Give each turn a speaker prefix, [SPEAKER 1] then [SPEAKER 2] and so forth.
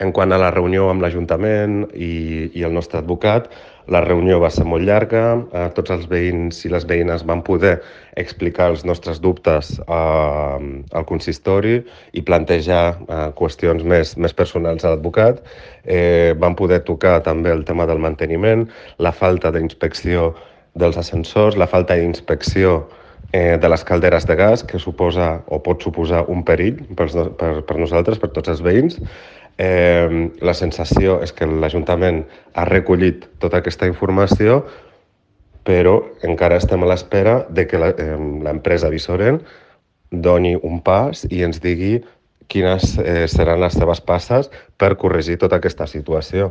[SPEAKER 1] En quant a la reunió amb l'Ajuntament i el nostre advocat, la reunió va ser molt llarga, tots els veïns i les veïnes van poder explicar els nostres dubtes al consistori i plantejar qüestions més personals a l'advocat. Van poder tocar també el tema del manteniment, la falta d'inspecció dels ascensors, la falta d'inspecció de les calderes de gas, que suposa o pot suposar un perill per nosaltres, per tots els veïns. La sensació és que l'Ajuntament ha recollit tota aquesta informació, però encara estem a l'espera de que l'empresa Visoren doni un pas i ens digui quines seran les seves passes per corregir tota aquesta situació.